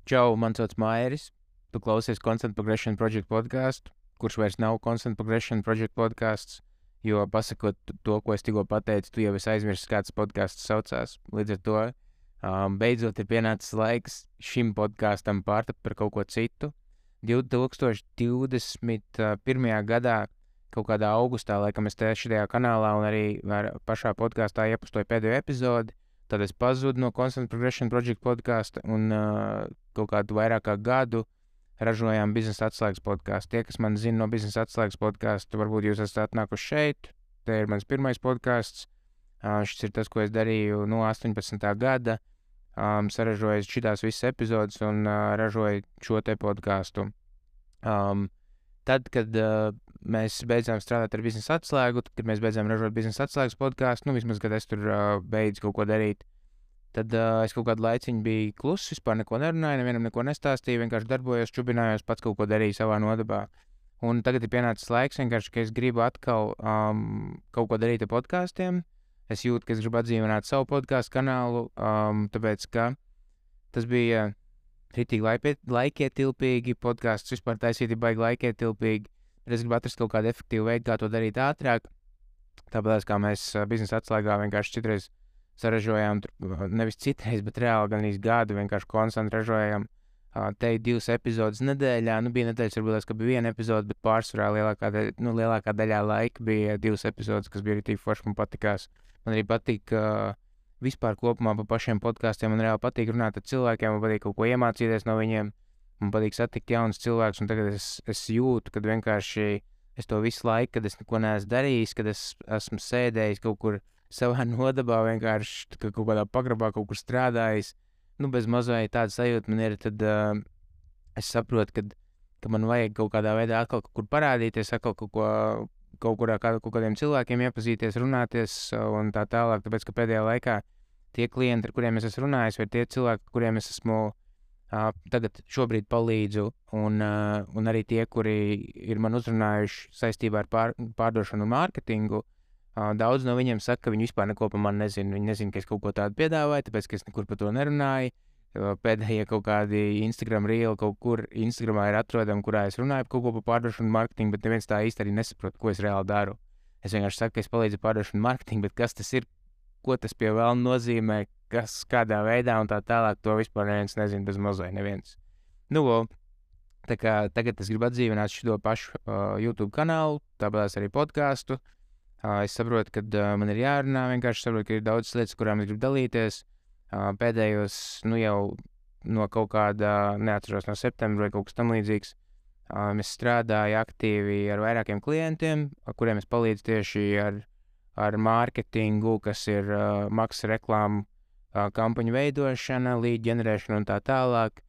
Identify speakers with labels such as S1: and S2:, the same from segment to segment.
S1: Čau, man sauc Mairis. Tu klausies Constant Progression Project podcastu, kurš vairs nav Constant Progression Project podcasts, jo pasakot to, ko es tikko pateicu, tu jau esi aizmirsis, kāds podcasts saucās. Līdz ar to beidzot ir pienācis laiks šim podkastam pārtapt par kaut ko citu. 2021. gadā, kaut kādā augustā, laikam es te šajā kanālā un arī pašā podkastā iepostoju pēdējo epizodi. Tad es pazudu no Constant Progression Project podkasta un kaut kādu vairāk kā gadu ražojām biznesa atslēgas podkāstu. Tie, kas man zina no biznesa atslēgas podkasta, varbūt jūs esat atnākuši šeit. Te ir mans pirmais podkāsts. Šis ir tas, ko es darīju no 18. gada. Saražoju šitās visas epizodes un ražoju šo te podkāstu. Tad, kad mēs beidzām strādāt ar biznesa atslēgu, kad mēs beidzām ražot biznesa atslēgas podkāstu, vismaz, kad es tur beidzu kaut ko darīt, tad es kaut kādu laiciņu biju kluss, vispār neko nerunāju, nevienam neko nestāstīju, vienkārši darbojos, čubinājos, pats kaut ko darīju savā nodabā. Un tagad ir pienācis laiks vienkārši, ka es gribu atkal kaut ko darīt ar podkāstiem. Es jūtu, ka es gribu atdzīvināt savu podkāstu kanālu, tāpēc, ka tas bija ritīgi laikietilpīgi, podkāsts vispār taisīt ir baigi laikietilpīgi, bet es gribu atrast kaut kādu efektīvu veidu, kā to darīt ātrāk. Tāpēc, kā mēs biznesa atslēgā vienkārši citreiz saražojām, nevis citreiz, bet reāli gan īsti gadu vienkārši konstanti ražojām te 2 epizodes nedēļā. Bija nedēļas, varbūt, ka bija 1 epizode, bet pārsvarā lielākā daļā laika bija 2 epizodes, kas bija ritīgi forši, man patikās. Man arī patīk vispār kopumā pa pašiem podkāstiem, man reāli patīk runāt ar cilvēkiem, man patīk kaut ko iemācīties no viņiem, man patīk satikt jaunus cilvēkus, un tagad es jūtu, kad vienkārši es to visu laiku, kad es neko neesmu darījis, kad es esmu sēdējis kaut kur savā nodabā, vienkārši kaut kādā pagrabā kaut kur strādājis, bez mazliet tāda sajūta man ir, tad es saprotu, ka man vajag kaut kādā veidā atkal kaut kur parādīties, atkal kaut kādiem cilvēkiem iepazīties, runāties un tā tālāk, tāpēc, ka pēdējā laikā tie klienti, ar kuriem es esmu runājis, vai tie cilvēki, kuriem es esmu tagad šobrīd palīdzu, un arī tie, kuri ir man uzrunājuši saistībā ar pārdošanu un mārketingu, daudz no viņiem saka, ka viņi vispār neko par mani nezina. Viņi nezina, ka es kaut ko tādu piedāvāju, tāpēc, ka es nekur par to nerunāju. Pēdējie kaut kādi Instagram reel kaut kur Instagramā ir atrodami, kurā es runāju par kaut ko par pārdošanu un mārketingu, bet neviens tā īsti arī nesaprot, ko es reāli daru. Es vienkārši saku, ka es palīdzu pārdošanu un mārketingu, bet kas tas ir, ko tas pie vēlna nozīmē, kas kādā veidā un tā tālāk, to vispār neviens nezina, bez mazai neviens. Tā kā tagad es gribu atdzīvināt šo pašu YouTube kanālu, tāpēc arī podkāstu. Es saprotu, ka man ir jārunā, vienkārši saprotu, ka ir daudz lietas, kurām es gribu dalīties. Pēdējos, jau no kaut kāda, neatceros, no septembra vai kaut kas tam līdzīgs, es strādāju aktīvi ar vairākiem klientiem, kuriem es palīdzu tieši ar mārketingu, kas ir maksas reklāmu kampaņu veidošana, lead ģenerēšana un tā tālāk,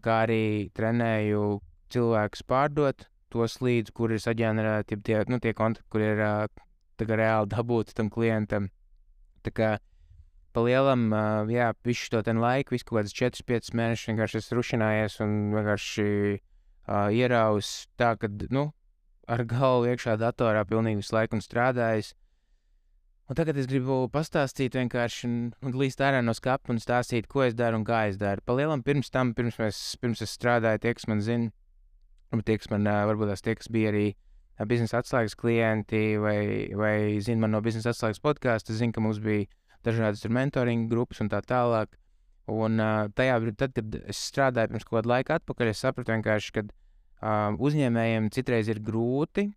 S1: kā arī trenēju cilvēkus pārdot tos leads, kuri ir saģenerēti, tie kontakti, kuri ir reāli dabūti tam klientam. Tā kā pa lielam, visu to ten laiku, visu kaut kādas 4-5 mēnešus vienkārši es rušinājies un vienkārši ieraus tā, ka, ar galvu iekšā datorā pilnīgi visu laiku un strādājis. Un tagad es gribu pastāstīt vienkārši un līst ārā no skapa un stāstīt, ko es daru un kā es daru. Pa lielam pirms es strādāju, tie, kas man zina, tie, kas man, varbūt tās tie, kas bija arī biznesa atslēgas klienti vai zina man no biznesa atslēgas podkāsta, zina, ka mums bija dažādas mentoringa grupas un tā tālāk. Un tad, kad es strādāju pirms kaut kādu laiku atpakaļ, es sapratu vienkārši, ka uzņēmējiem citreiz ir grūti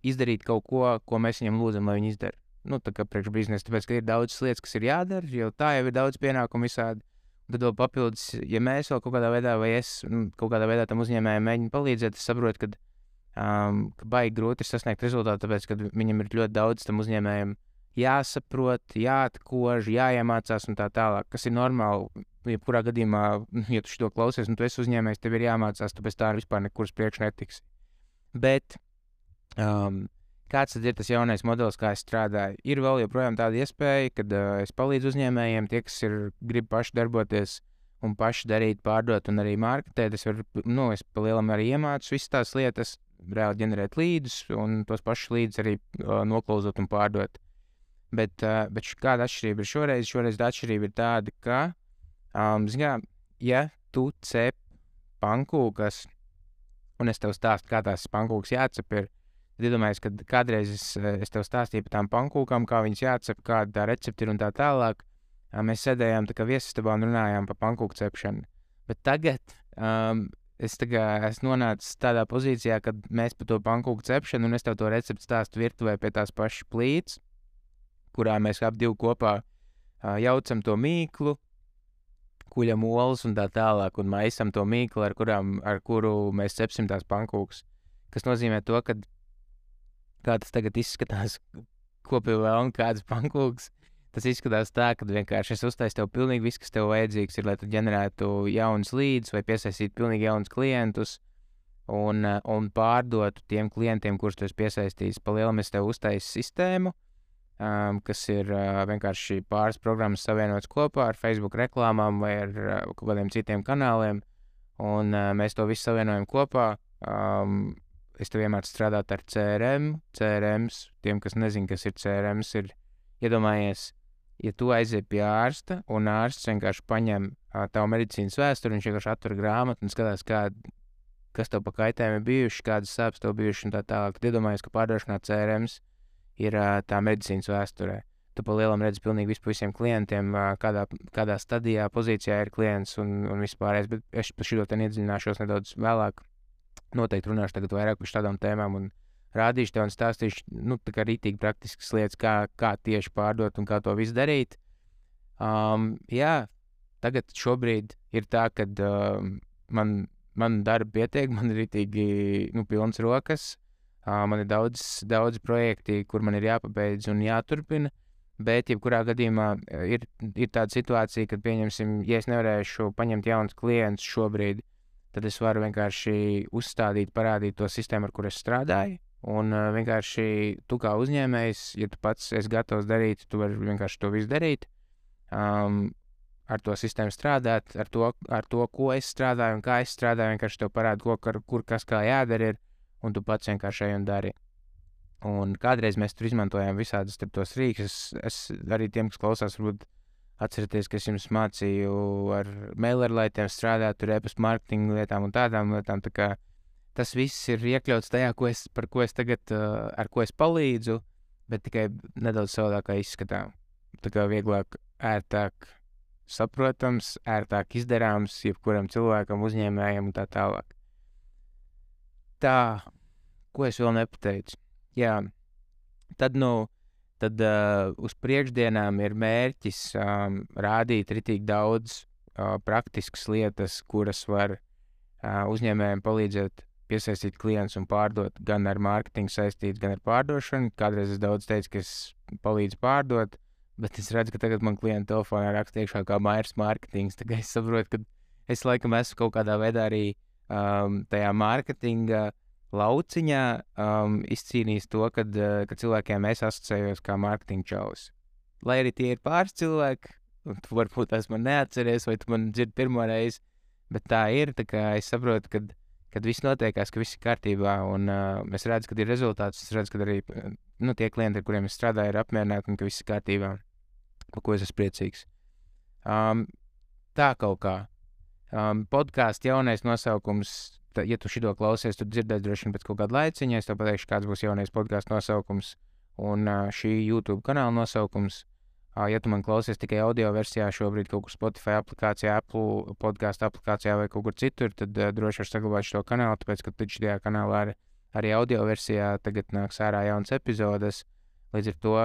S1: izdarīt kaut ko mēs viņiem lūdzam, lai viņi izdara. Tā kā priekš biznesa, tāpēc, ka ir daudz lietas, kas ir jādara, jo tā jau ir daudz pienākumu visādi. Tad vēl papildus, ja mēs vēl kaut kādā veidā vai es kaut kādā veidā tam uzņēmējiem mēģinu palīdzēt, es saprotu, ka baigi grūti ir sasniegt rezultātu, tāpēc, ka viņam ir ļoti daudz tam uzņēmējiem jāsaprot, jāatkož, jāiemācās un tā tālāk, kas ir normāli. Jebkurā gadījumā, ja tu šito klausies un tu esi uzņēmējs, tev ir jāmācās, tāpēc tā vispār nekur uz priekšu netiksi. Bet kāds tad ir tas jaunais modelis, kā es strādāju? Ir vēl joprojām tāda iespēja, kad es palīdzu uzņēmējiem, tie, kas grib paši darboties un paši darīt, pārdot un arī marketēt. Es pa lielam arī iemācu visas tās lietas, reāli ģenerēt līdus un tos pašus līdus arī noklauzot un pārdot. Bet kāda atšķirība ir šoreiz? Šoreiz tā atšķirība ir tāda, ka, ja tu cep pankūkas, un es tev stāstu, kā tās pankūkas jācep ir, tad iedomājies, ka kādreiz es tev stāstīju par tām pankūkām, kā viņas jācep, kāda tā recepti ir un tā tālāk. Mēs sēdējām tā kā viesistabā un runājām par pankūku cepšanu. Bet tagad es esmu nonācis tādā pozīcijā, kad mēs par to pankūku cepšanu, un es tev to recepti stāstu virtuvē pie tās pašas plīts, kurā mēs ap divu kopā jaucam to mīklu, kuļam olas un tā tālāk, un maisam to mīklu, ar kuru mēs cepsim tās pankūkas. Kas nozīmē to, ka kā tas tagad izskatās, ko pie vēl un kādas pankūkas, tas izskatās tā, ka vienkārši es uztaisu tev pilnīgi viss, kas tev vajadzīgs ir, lai tu ģenerētu jaunus līdus vai piesaistītu pilnīgi jaunus klientus un pārdotu tiem klientiem, kurus tu esi piesaistījis. Pa lielam es tev uztaisu sistēmu, kas ir vienkārši pāris programmas savienotas kopā ar Facebook reklāmām vai ar kaut kādiem citiem kanāliem, un mēs to visu savienojam kopā. Es tev iemācu strādāt ar CRM. CRMs, tiem, kas nezin, kas ir CRMs, ir, iedomājies, ja tu aiziet pie ārsta, un ārsts vienkārši paņem tavu medicīnas vēsturi, viņš vienkārši atver grāmatu un skatās, kas tev pa kaitējumi bijuši, kādas sāpes tev bijuši un tā tālāk. Tad iedomājies, ka pārdošanā CRMs ir tā medicīnas vēsturē. Tu pa lielam redzi pilnīgi visu visiem klientiem, kādā stadijā, pozīcijā ir klients un vispārējais, bet es par šito te iedziļināšos nedaudz vēlāk. Noteikti runāšu tagad vairāk par šādām tēmām un rādīšu tev un stāstīšu, tā kā rītīgi praktiskas lietas, kā tieši pārdot un kā to visu darīt. Tagad šobrīd ir tā, kad man darba pietiek, man ir rītīgi, pilns rokas. Man ir daudz projekti, kur man ir jāpabeidz un jāturpina, bet jebkurā gadījumā ir tāda situācija, kad pieņemsim, ja es nevarēšu paņemt jaunus klientus šobrīd, tad es varu vienkārši uzstādīt, parādīt to sistēmu, ar kur es strādāju, un vienkārši tu kā uzņēmējs, ja tu pats esi gatavs darīt, tu vari vienkārši to visu darīt, ar to sistēmu strādāt, ar to, ko es strādāju un kā es strādāju, vienkārši tev parādu, kur kas kā jādara ir, un tu pats vienkārši ej un dari. Un kādreiz mēs tur izmantojām visādas tos rīkus. Es arī tiem, kas klausās, varbūt atcerieties, ka es jums mācīju ar mailerlaitiem strādāt, tur e-pasta marketinga lietām un tādām lietām. Tā kā tas viss ir iekļauts tajā, par ko es tagad, ar ko es palīdzu, bet tikai nedaudz savādākā izskatā. Tā kā vieglāk, ērtāk saprotams, ērtāk izdarāms jebkuram cilvēkam, uzņēmējam un tā tālāk. Tā, ko es vēl nepateicu? Jā, tad uz priekšdienām ir mērķis rādīt ritīgi daudz praktiskas lietas, kuras var uzņēmējiem palīdzēt piesaistīt klientus un pārdot gan ar mārketingu saistīts, gan ar pārdošanu. Kādreiz es daudz teicu, ka es palīdzu pārdot, bet es redzu, ka tagad man klienta telefonā raksta iekšā kā Mairs mārketings. Tagad es saprotu, ka es laikam esmu kaut kādā veidā arī tajā mārketinga lauciņā izcīnījis to, kad cilvēkiem es asociējos kā mārketinga čalis. Lai arī tie ir pāris cilvēki, un tu varbūt esmu neatceries, vai tu man dzirdi pirmo reizi, bet tā ir, tā kā es saprotu, kad viss notiekās, ka viss ir kārtībā, un es redzu, kad ir rezultāts, es redzu, kad arī tie klienti, ar kuriem es strādāju, ir apmierināti, un ka viss ir kārtībā, par ko es esmu priecīgs. Tā kaut kā. Podkāstu jaunais nosaukums, ja tu šito klausies, tu dzirdēsi droši vien pēc kaut kāda laiciņa, es tev pateikšu, kāds būs jaunais podkāstu nosaukums un šī YouTube kanāla nosaukums. Ja tu man klausies tikai audio versijā šobrīd kaut kur Spotify aplikācijā, Apple podkāstu aplikācijā vai kaut kur citur, tad droši var saglabāt šo kanālu, tāpēc, ka šajā kanālā arī audio versijā tagad nāks ārā jaunas epizodes. Līdz ar to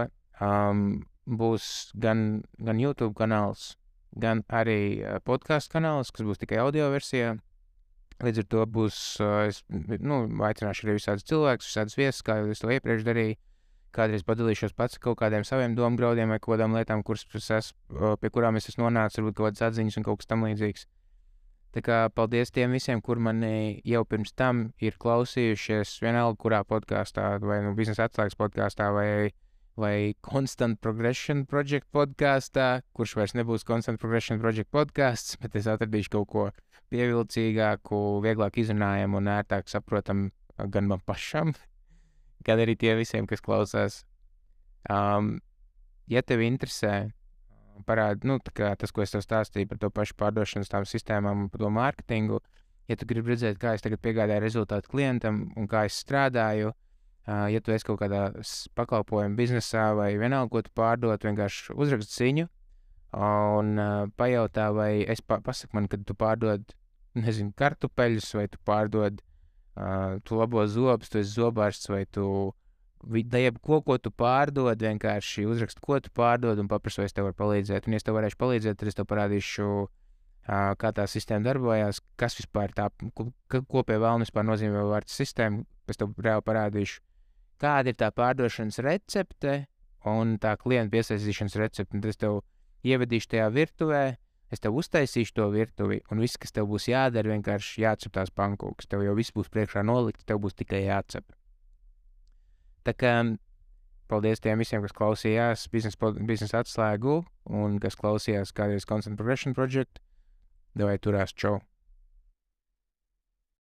S1: būs gan YouTube kanāls, gan arī podkāstu kanāls, kas būs tikai audio versijā. Līdz ar to būs, es aicināšu arī visādus cilvēkus, visādus viesus, kā jau es to iepriekš darīju. Kādreiz padalīšos pats kaut kādiem saviem domgraudiem vai kaut kādām lietām, pie kurām es esmu nonācis, varbūt kaut kādas atziņas un kaut kas tam līdzīgs. Tā kā paldies tiem visiem, kur mani jau pirms tam ir klausījušies vienalga kurā podkāstā, vai biznesa atslēgas podkāstā, vai Constant Progression Project podkāstā, kurš vairs nebūs Constant Progression Project podkāsts, bet es atradīšu kaut ko pievilcīgāku, vieglāk izrunājumu un ērtāk saprotam gan man pašam, gan arī tie visiem, kas klausās. Ja tev interesē parāda, tā kā tas, ko es tev stāstīju par to pašu pārdošanas tām sistēmām un par to mārketingu. Ja tu gribi redzēt, kā es tagad piegādāju rezultātu klientam un kā es strādāju, ja tu esi kaut kādā pakalpojumu biznesā vai vienalga, ko tu pārdod, vienkārši uzrakst ziņu un pajautā, vai pasaki man, kad tu pārdod, nezinu, kartupeļus, vai tu pārdod, tu labo zobus, tu esi zobārsts, vai tu jebko, ko tu pārdod, vienkārši uzrakst, ko tu pārdod un paprasu, vai es tev varu palīdzēt. Un, ja es tev varēšu palīdzēt, tad es tev parādīšu, kā tā sistēma darbojās, kas vispār tā, ko pie vēlna vispār nozīmē vārds sistēma. Es tev reāli parādīšu, kāda ir tā pārdošanas recepte un tā klienta piesaistīšanas recepte. Un tad es tev ievedīšu tajā virtuvē, es tev uztaisīšu to virtuvi, un viss, kas tev būs jādara, vienkārši jācep tās pankūkas. Tev jau viss būs priekšā nolikts, tev būs tikai jācep. Tā kā paldies tiem visiem, kas klausījās biznesa atslēgu un kas klausījās kādreiz Constant Progression Project. Davai turās, čau!